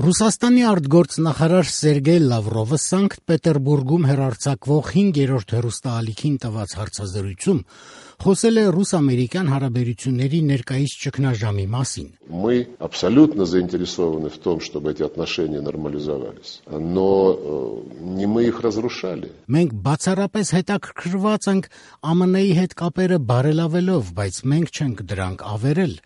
Ռուսաստանի արտգործնախարար Սերգեյ Լավրովը Սանկտ Պետերբուրգում հեռարձակվող 5-րդ հեռուստաալիքին տված հարցազրույցում խոսել է ռուս-ամերիկյան հարաբերությունների ներկայիս ճգնաժամի մասին. Мы абсолютно заинтересованы в том, чтобы эти отношения нормализовались, но не мы их разрушали. Մենք բացառապես հետաքրքրված ենք ԱՄՆ-ի հետ կապերը բարելավելով, բայց մենք չենք դրանք ավերել.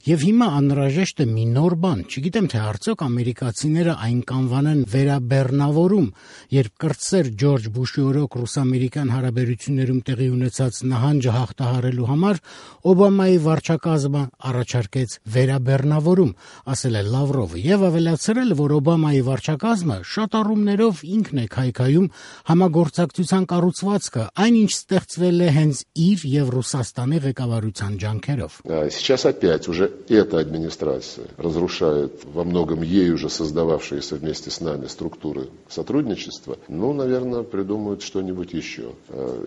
Եվ հիմա անհրաժեշտ է մի նոր բան, չգիտեմ թե արդյոք ամերիկացիները այն կանվանեն վերաբեռնավորում, երբ կրտսեր Ջորջ Բուշի օրոք ռուս-ամերիկյան հարաբերություններում տեղի ունեցած նահանջը հաղթահարելու համար Օբամայի վարչակազմը առաջարկեց վերաբեռնավորում, ասել է Լավրովը, եւ ավելացրել, որ Օբամայի վարչակազմը շատ առումներով ինքն է քայքայում համագործակցության կառուցվածքը, այնինչ ստեղծվել է հենց իր եւ Ռուսաստանի ղեկավարության ջանքերով. Сейчас опять уже эта администрация разрушает во многом ей уже создававшиеся вместе с нами структуры сотрудничества. Ну, наверное, придумают что-нибудь еще.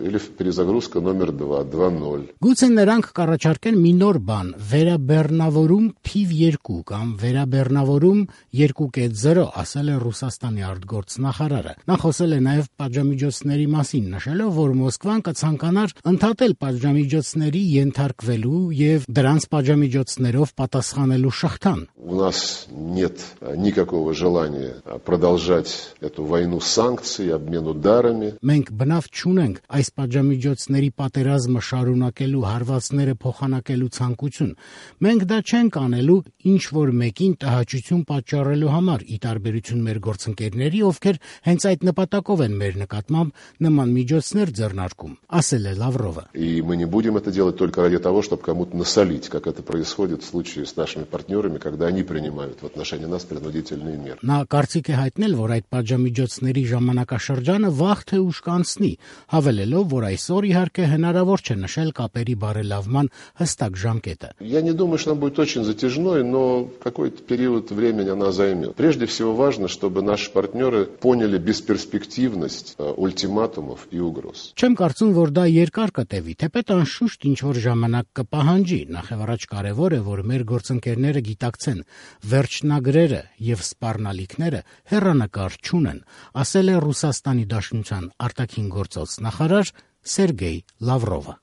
Или перезагрузка номер 2, 2.0. Գուցե նրանք կառաջարկեն մի նոր բան, վերաբեռնավորում թիվ 2 կամ վերաբեռնավորում 2.0, ասել է Ռուսաստանի արտգործնախարարը։ Նա խոսել է նաև պատժամիջոցների մասին, նշելով, որ Մոսկվան կցանկանար ընդհատել պատժամիջոցների ենթարկվելու եւ դրանց պատժամիջոցներով պատասխանելու շղթան. У нас нет никакого желания продолжать эту войну санкций, обмен ударами. Մենք բնավ չունենք այս պատժամիջոցների պատերազմը շարունակելու հարվածները փոխանակելու ցանկություն։ Մենք դա չենք անելու ինչ որ մեկին տհաճություն պատճառելու համար, ի տարբերություն մեր գործընկերների, ովքեր հենց այդ նպատակով են մեր նկատմամբ նման միջոցներ ձեռնարկում, ասել է Լավրովը։ И мы не будем это делать только ради того, чтобы кому-то насолить, как это происходит в случае с нашими партнерами, когда они принимают в отношении нас принудительные меры. Նա կարծիք է հայտնել, որ այդ պատժամիջոցների ժամանակաշրջանը վաղ թե ուշ կանցնի, հավելելով, որ այսօր իհարկե հնարավոր չէ նշել կապերի բարելավման հստակ ժամկետը։ Я не думаю, что она будет очень затяжной, но какой-то период времени она займет. Прежде всего важно, чтобы наши партнеры поняли бесперспективность ультиматумов и угроз. Չեմ կարծում, որ դա երկար կտևի, թեպետ անշուշտ ինչ որ ժամանակ կպահանջի, նախևառաջ կարևոր է, որ մեր գործընկերները գիտակցեն, վերջնագրերը եւ սպառնալիքները հեռանկար չունեն, ասել է Ռուսաստանի Դաշնության արտաքին գործոց նախարար Սերգեյ Լավրովը։